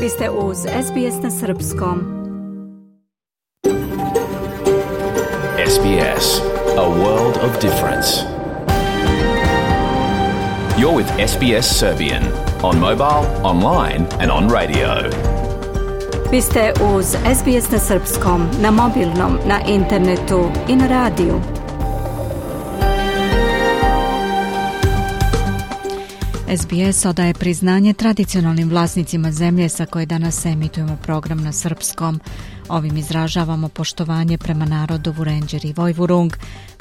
Vi ste uz SBS na srpskom. SBS, a world of difference. You're with SBS Serbian on mobile, online and on radio. Vi ste uz SBS na srpskom, na mobilnom, na internetu i na radiju. SBS odaje priznanje tradicionalnim vlasnicima zemlje sa koje danas emitujemo program na srpskom. Ovim izražavamo poštovanje prema narodu Vurenđer i Vojvurung,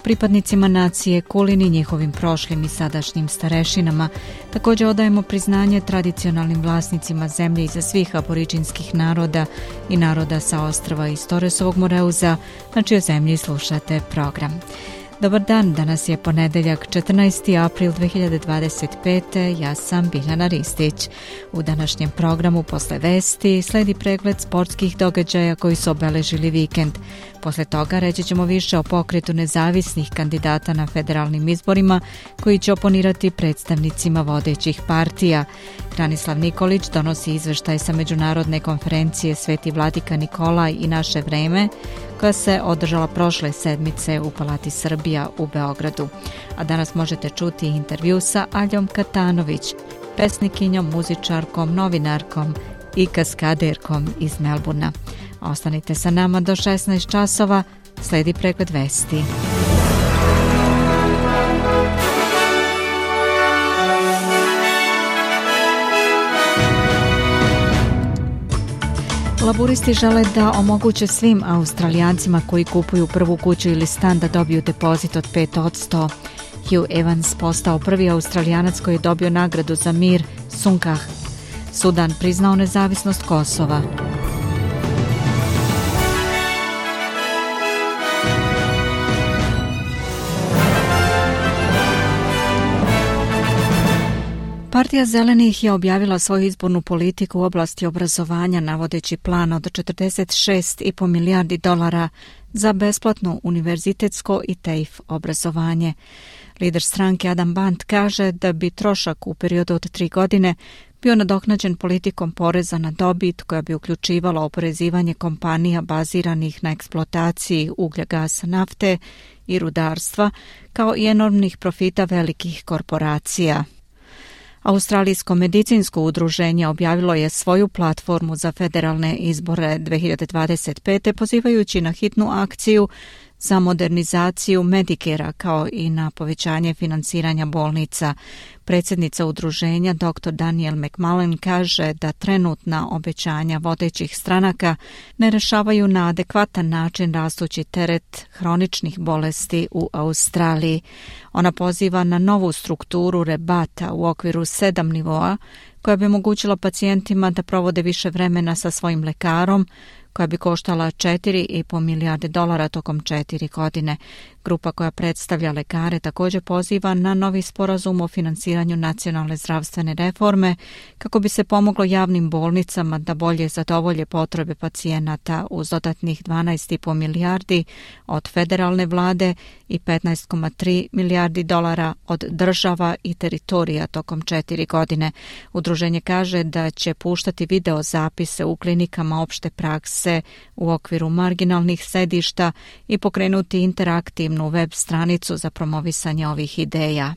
pripadnicima nacije Kulin i njihovim prošlim i sadašnjim starešinama. Također odajemo priznanje tradicionalnim vlasnicima zemlje iza svih aboriđinskih naroda i naroda sa ostrva iz Toresovog Moreuza, na čijoj zemlji slušate program. Dobar dan, danas je ponedeljak 14. april 2025. Ja sam Biljana Ristić. U današnjem programu posle vesti sledi pregled sportskih događaja koji su obeležili vikend. Posle toga reći ćemo više o pokretu nezavisnih kandidata na federalnim izborima koji će oponirati predstavnicima vodećih partija. Branislav Nikolić donosi izveštaj sa međunarodne konferencije Sveti Vladika Nikolaj i naše vreme, koja se održala prošle sedmice u Palati Srbija u Beogradu. A danas možete čuti intervju sa Aljom Katanović, pesnikinjom, muzičarkom, novinarkom i kaskaderkom iz Melburna. Ostanite sa nama do 16 časova, sledi pregled vesti. Laburisti žele da omoguće svim Australijancima koji kupuju prvu kuću ili stan da dobiju depozit od 5%. Hugh Evans postao prvi Australijanac koji je dobio nagradu za mir Sunkah. Sudan priznao nezavisnost Kosova. Partija Zelenih je objavila svoju izbornu politiku u oblasti obrazovanja navodeći plan od $46,5 milijardi za besplatno univerzitetsko i TAFE obrazovanje. Lider stranke Adam Band kaže da bi trošak u periodu od 3 godine bio nadoknađen politikom poreza na dobit koja bi uključivala oporezivanje kompanija baziranih na eksploataciji uglja, gasa, nafte i rudarstva, kao i enormnih profita velikih korporacija. Australijsko medicinsko udruženje objavilo je svoju platformu za federalne izbore 2025. pozivajući na hitnu akciju za modernizaciju Medicarea kao i na povećanje finansiranja bolnica. Predsjednica udruženja dr. Daniel McMullen kaže da trenutna obećanja vodećih stranaka ne rešavaju na adekvatan način rastući teret hroničnih bolesti u Australiji. Ona poziva na novu strukturu rebata u okviru 7 nivoa koja bi omogućila pacijentima da provode više vremena sa svojim lekarom, koja bi koštala $4,5 milijarde tokom 4 godine. Grupa koja predstavlja lekare također poziva na novi sporazum o finansiranju nacionalne zdravstvene reforme kako bi se pomoglo javnim bolnicama da bolje zadovolje potrebe pacijenata uz dodatnih $12,5 milijardi od federalne vlade i $15,3 milijardi od država i teritorija tokom 4 godine. Udruženje kaže da će puštati video zapise u klinikama opšte prakse u okviru marginalnih sedišta i pokrenuti interaktivnu web stranicu za promovisanje ovih ideja.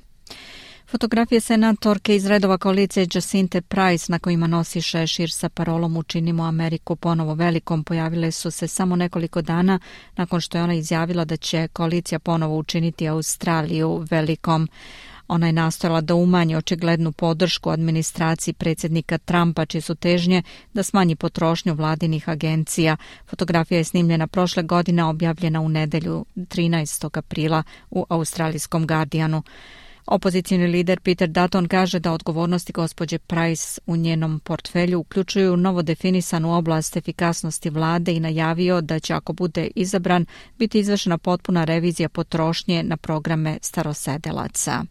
Fotografije senatorke iz redova koalicije Jacinthe Price na kojima nosi šešir sa parolom Učinimo Ameriku ponovo velikom pojavile su se samo nekoliko dana nakon što je ona izjavila da će koalicija ponovo učiniti Australiju velikom. Ona je nastojala da umanji očiglednu podršku administraciji predsjednika Trumpa, čije su težnje da smanji potrošnju vladinih agencija. Fotografija je snimljena prošle godine, objavljena u nedelju 13. aprila u australijskom Guardianu. Opozicioni lider Peter Dutton kaže da odgovornosti gospođe Price u njenom portfelju uključuju novo definisanu oblast efikasnosti vlade i najavio da će, ako bude izabran, biti izvršena potpuna revizija potrošnje na programe starosedelaca.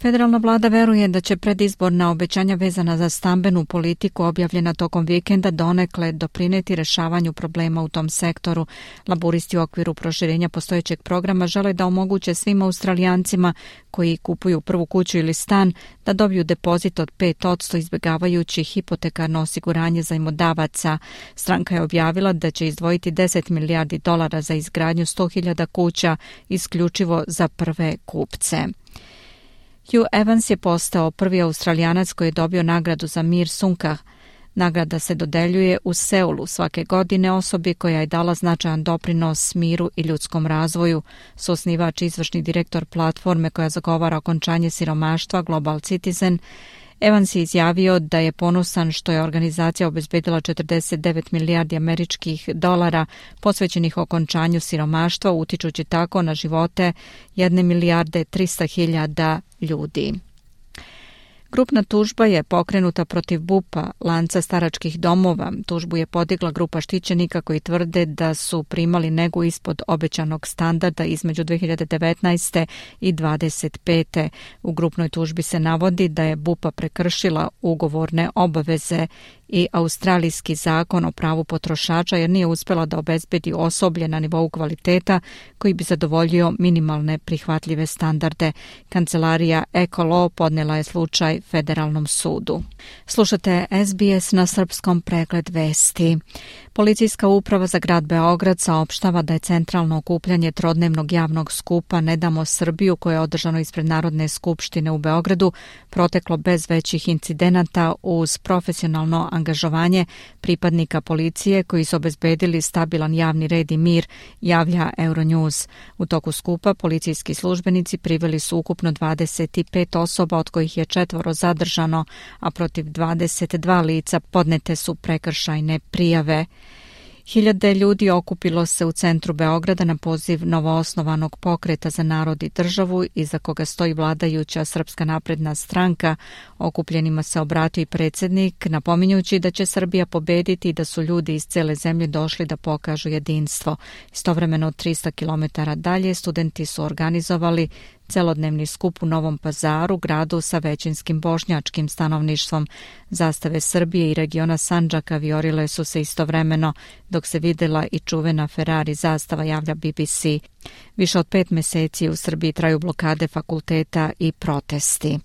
Federalna vlada veruje da će predizborna obećanja vezana za stambenu politiku objavljena tokom vikenda donekle doprineti rešavanju problema u tom sektoru. Laburisti u okviru proširenja postojećeg programa žele da omoguće svim Australijancima koji kupuju prvu kuću ili stan da dobiju depozit od 5% izbjegavajući hipotekarno osiguranje zajmodavaca. Stranka je objavila da će izdvojiti $10 milijardi za izgradnju 100.000 kuća isključivo za prve kupce. Hugh Evans je postao prvi Australijanac koji je dobio nagradu za mir Sunkah. Nagrada se dodeljuje u Seulu svake godine osobi koja je dala značajan doprinos miru i ljudskom razvoju. Suosnivač i izvršni direktor platforme koja zagovara okončanje siromaštva Global Citizen, Evans je izjavio da je ponosan što je organizacija obezbedila $49 milijardi američkih dolara posvećenih okončanju siromaštva, utičući tako na živote 1.300.000 ljudi. Grupna tužba je pokrenuta protiv BUP-a, lanca staračkih domova. Tužbu je podigla grupa štićenika koji tvrde da su primali negu ispod obećanog standarda između 2019. i 2025. U grupnoj tužbi se navodi da je BUP-a prekršila ugovorne obaveze i australijski zakon o pravu potrošača jer nije uspjela da obezbedi osoblje na nivou kvaliteta koji bi zadovoljio minimalne prihvatljive standarde. Kancelarija Ecolaw podnela je slučaj Federalnom sudu. Slušate SBS na srpskom, pregled vesti. Policijska uprava za grad Beograd saopštava da je centralno okupljanje trodnevnog javnog skupa Ne damo Srbiju, koje je održano ispred Narodne skupštine u Beogradu, proteklo bez većih incidenata uz profesionalno angažovanje pripadnika policije koji su obezbedili stabilan javni red i mir, javlja Euronews. U toku skupa policijski službenici priveli su ukupno 25 osoba, od kojih je 4 zadržano, a protiv 22 lica podnete su prekršajne prijave. Hiljade ljudi okupilo se u centru Beograda na poziv novoosnovanog Pokreta za narod i državu, iza koga stoji vladajuća Srpska napredna stranka. Okupljenima se obratio i predsjednik, napominjući da će Srbija pobediti i da su ljudi iz cele zemlje došli da pokažu jedinstvo. Istovremeno 300 km dalje studenti su organizovali celodnevni skup u Novom Pazaru, gradu sa većinskim bošnjačkim stanovništvom. Zastave Srbije i regiona Sandžaka viorile su se istovremeno, dok se videla i čuvena Ferrari zastava, javlja BBC. Više od 5 meseci u Srbiji traju blokade fakulteta i protesti.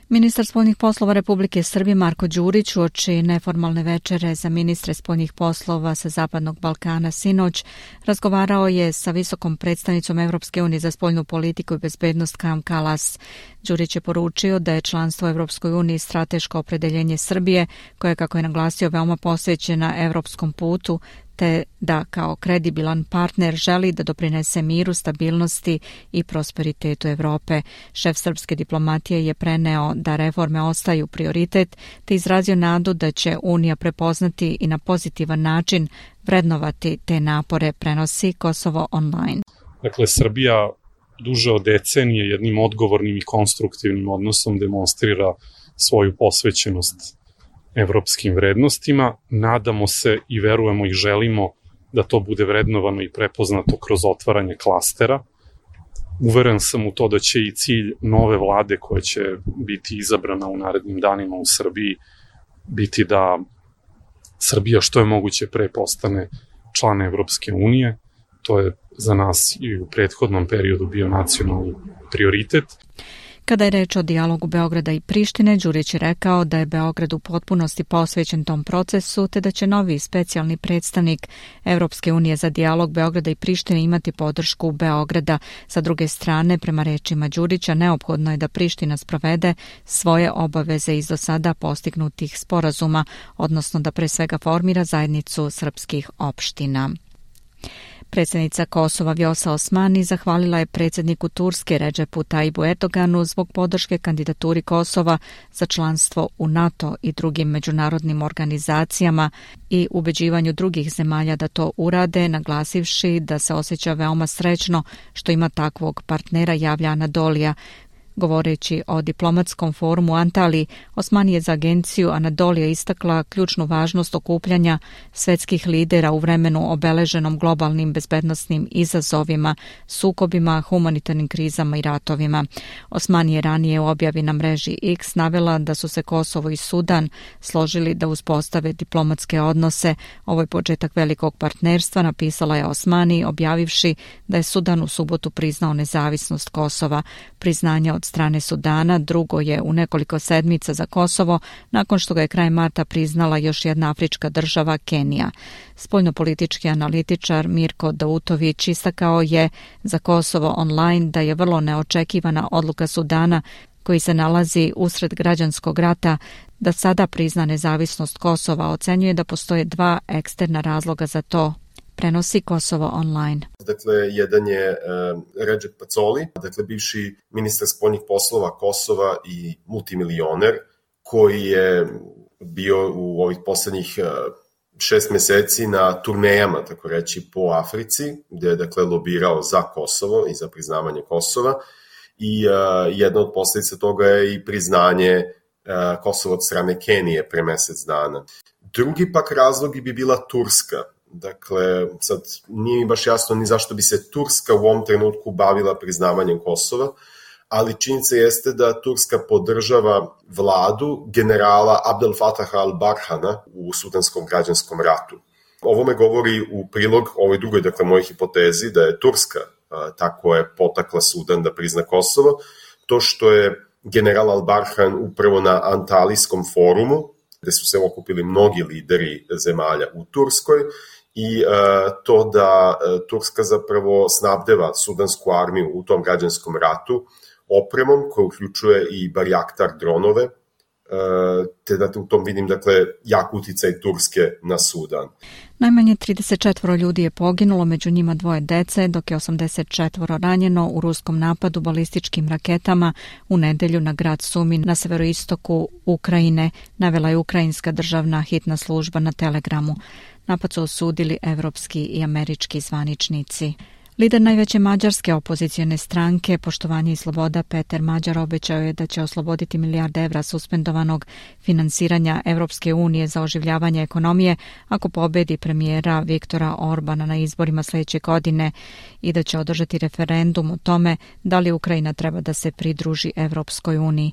Ministar spoljnih poslova Republike Srbije Marko Đurić uoči neformalne večere za ministre spoljnih poslova sa Zapadnog Balkana sinoć razgovarao je sa visokom predstavnicom Evropske unije za spoljnu politiku i bezbednost Kajom Kallas. Đurić je poručio da je članstvo Evropskoj uniji strateško opredeljenje Srbije, koje, kako je naglasio, veoma posvećena evropskom putu, te da kao kredibilan partner želi da doprinese miru, stabilnosti i prosperitetu Evrope. Šef srpske diplomatije je preneo da reforme ostaju prioritet, te izrazio nadu da će Unija prepoznati i na pozitivan način vrednovati te napore, prenosi Kosovo online. Dakle, Srbija duže od decenije jednim odgovornim i konstruktivnim odnosom demonstrira svoju posvećenost evropskim vrednostima. Nadamo se i verujemo i želimo da to bude vrednovano i prepoznato kroz otvaranje klastera. Uveren sam u to da će i cilj nove vlade koja će biti izabrana u narednim danima u Srbiji biti da Srbija što je moguće pre postane član Evropske unije. To je za nas i u prethodnom periodu bio nacionalni prioritet. Kada je reč o dijalogu Beograda i Prištine, Đurić je rekao da je Beograd u potpunosti posvećen tom procesu, te da će novi specijalni predstavnik Evropske unije za dijalog Beograda i Prištine imati podršku Beograda. Sa druge strane, prema rečima Đurića, neophodno je da Priština sprovede svoje obaveze iz do sada postignutih sporazuma, odnosno da pre svega formira zajednicu srpskih opština. Predsjednica Kosova Vjosa Osmani zahvalila je predsjedniku Turske Redžepu Tajibu Erdoganu zbog podrške kandidaturi Kosova za članstvo u NATO i drugim međunarodnim organizacijama i ubeđivanju drugih zemalja da to urade, naglasivši da se osjeća veoma srećno što ima takvog partnera, javlja Anadolija. Govoreći o diplomatskom forumu Antaliji, Osmani je za agenciju Anadolija istakla ključnu važnost okupljanja svetskih lidera u vremenu obeleženom globalnim bezbednosnim izazovima, sukobima, humanitarnim krizama i ratovima. Osmani je ranije u objavi na mreži X navela da su se Kosovo i Sudan složili da uspostave diplomatske odnose. Ovo je početak velikog partnerstva, napisala je Osmani, objavivši da je Sudan u subotu priznao nezavisnost Kosova. Priznanje od strane Sudana drugo je u nekoliko sedmica za Kosovo, nakon što ga je kraj marta priznala još jedna afrička država, Kenija. Spoljnopolitički analitičar Mirko Dautović istakao je za Kosovo online da je vrlo neočekivana odluka Sudana, koji se nalazi usred građanskog rata, da sada prizna nezavisnost Kosova. Ocenjuje da postoje dva eksterna razloga za to. Prenosi Kosovo online. Dakle, jedan je Redžep Pacoli, dakle bivši ministar spoljnih poslova Kosova i multimilioner, koji je bio u ovih poslednjih 6 meseci na turnejama, tako reći, po Africi, gde je dakle lobirao za Kosovo i za priznavanje Kosova. I jedna od posledica toga je i priznanje Kosova od strane Kenije pre mesec dana. Drugi pak razlog bi bila Turska. Dakle, sad nije mi baš jasno ni zašto bi se Turska u ovom trenutku bavila priznavanjem Kosova, ali činjenica jeste da Turska podržava vladu generala Abdel Fataha al-Barhana u sudanskom građanskom ratu. Ovo me govori u prilog ovoj drugoj, dakle, mojoj hipotezi da je Turska tako je potakla Sudan da prizna Kosovo, to što je general al-Barhan upravo na Antalijskom forumu, gde su se okupili mnogi lideri zemalja u Turskoj, i to da Turska zapravo snabdeva sudansku armiju u tom građanskom ratu opremom koja uključuje i Barjaktar dronove, te da u tom vidim, dakle, jak uticaj Turske na Sudan. Najmanje 34 ljudi je poginulo, među njima 2 dece, dok je 84 ranjeno u ruskom napadu balističkim raketama u nedelju na grad Sumi na severoistoku Ukrajine, navela je ukrajinska državna hitna služba na Telegramu. Napad su osudili evropski i američki zvaničnici. Lider najveće mađarske opozicione stranke Poštovanje i sloboda Peter Mađar obećao je da će osloboditi milijarde evra suspendovanog finansiranja Evropske unije za oživljavanje ekonomije ako pobedi premijera Viktora Orbana na izborima sledeće godine i da će održati referendum o tome da li Ukrajina treba da se pridruži Evropskoj uniji.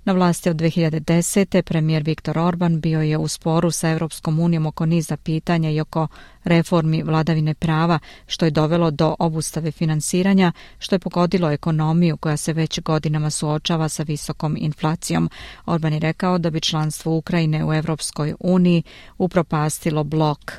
Na vlasti od 2010. premijer Viktor Orban bio je u sporu sa Evropskom unijom oko niza pitanja i oko reformi vladavine prava, što je dovelo do obustave finansiranja, što je pogodilo ekonomiju koja se već godinama suočava sa visokom inflacijom. Orban je rekao da bi članstvo Ukrajine u Evropskoj uniji upropastilo blok.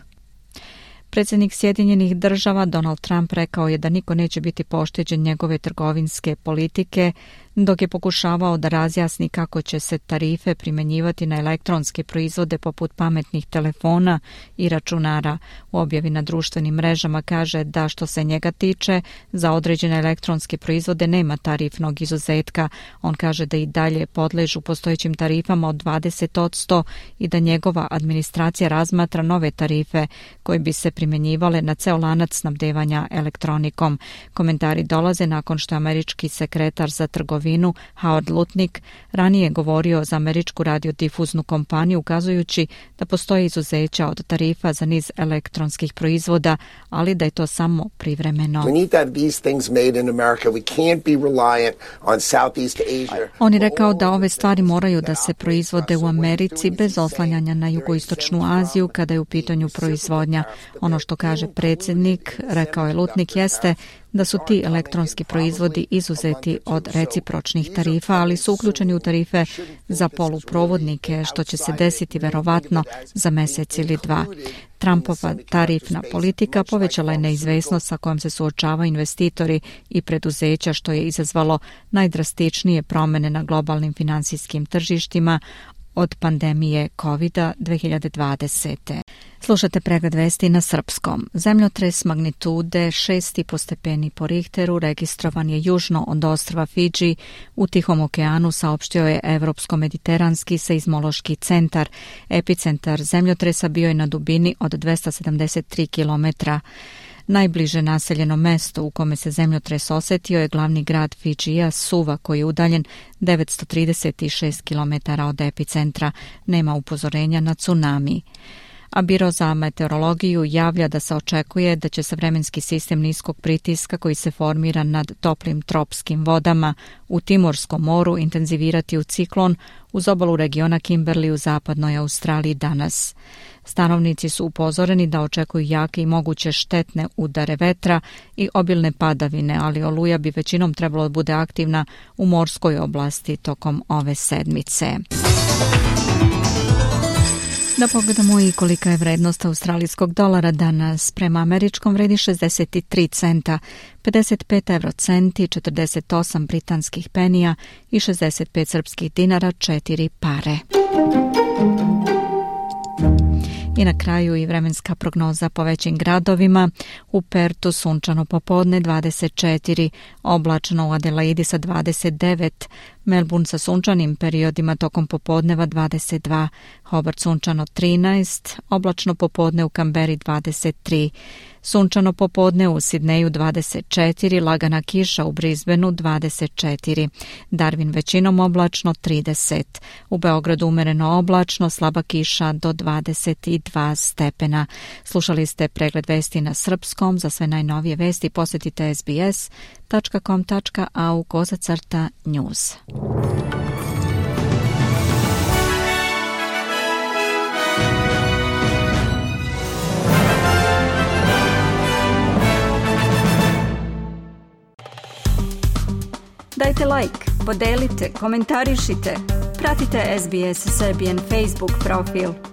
Predsjednik Sjedinjenih država Donald Trump rekao je da niko neće biti pošteđen njegove trgovinske politike, dok je pokušavao da razjasni kako će se tarife primjenjivati na elektronske proizvode poput pametnih telefona i računara. U objavi na društvenim mrežama kaže da što se njega tiče, za određene elektronske proizvode nema tarifnog izuzetka. On kaže da i dalje podležu postojećim tarifama od 20% i da njegova administracija razmatra nove tarife koje bi se primjenjivale na ceo lanac snabdevanja elektronikom. Komentari dolaze nakon što američki sekretar za trgovinu Howard Lutnick ranije govorio za američku radiodifuznu kompaniju, ukazujući da postoje izuzeća od tarifa za niz elektronskih proizvoda, ali da je to samo privremeno. On je rekao da ove stvari moraju da se proizvode u Americi bez oslanjanja na jugoistočnu Aziju kada je u pitanju proizvodnja. Ono što kaže predsjednik, rekao je Lutnick, jeste da su ti elektronski proizvodi izuzeti od recipročnih tarifa, ali su uključeni u tarife za poluprovodnike, što će se desiti verovatno za mesec ili dva. Trumpova tarifna politika povećala je neizvesnost sa kojom se suočavaju investitori i preduzeća, što je izazvalo najdrastičnije promene na globalnim finansijskim tržištima od pandemije COVID-a 2020. Slušate pregled vesti na srpskom. Zemljotres magnitude 6,5 stepeni po Richteru registrovan je južno od ostrva Fidži u Tihom okeanu, saopštio je Evropsko-mediteranski seizmološki centar. Epicentar zemljotresa bio je na dubini od 273 km. Najbliže naseljeno mesto u kome se zemljotres osetio je glavni grad Fidžija, Suva, koji je udaljen 936 km od epicentra. Nema upozorenja na tsunami. A Biro za meteorologiju javlja da se očekuje da će se vremenski sistem niskog pritiska koji se formira nad toplim tropskim vodama u Timorskom moru intenzivirati u ciklon uz obalu regiona Kimberley u zapadnoj Australiji danas. Stanovnici su upozoreni da očekuju jake i moguće štetne udare vetra i obilne padavine, ali oluja bi većinom trebalo da bude aktivna u morskoj oblasti tokom ove sedmice. Da pogledamo i kolika je vrednost australijskog dolara danas. Prema američkom vredi 63 centa, 55 eurocenti, 48 britanskih penija i 65 srpskih dinara, 4 pare. I na kraju i vremenska prognoza po većim gradovima. U Pertu sunčano popodne 24, oblačno u Adelaidi sa 29, Melbourne sa sunčanim periodima tokom popodneva 22, Hobart sunčano 13, oblačno popodne u Kamberi 23, sunčano popodne u Sidneju 24, lagana kiša u Brisbaneu 24, Darwin većinom oblačno 30, u Beogradu umereno oblačno, slaba kiša do 22 stepena. Slušali ste pregled vesti na srpskom. Za sve najnovije vesti posjetite sbs.com.au/news. Dajte like, podelite, komentarišite. Pratite SBS Serbian Facebook profil.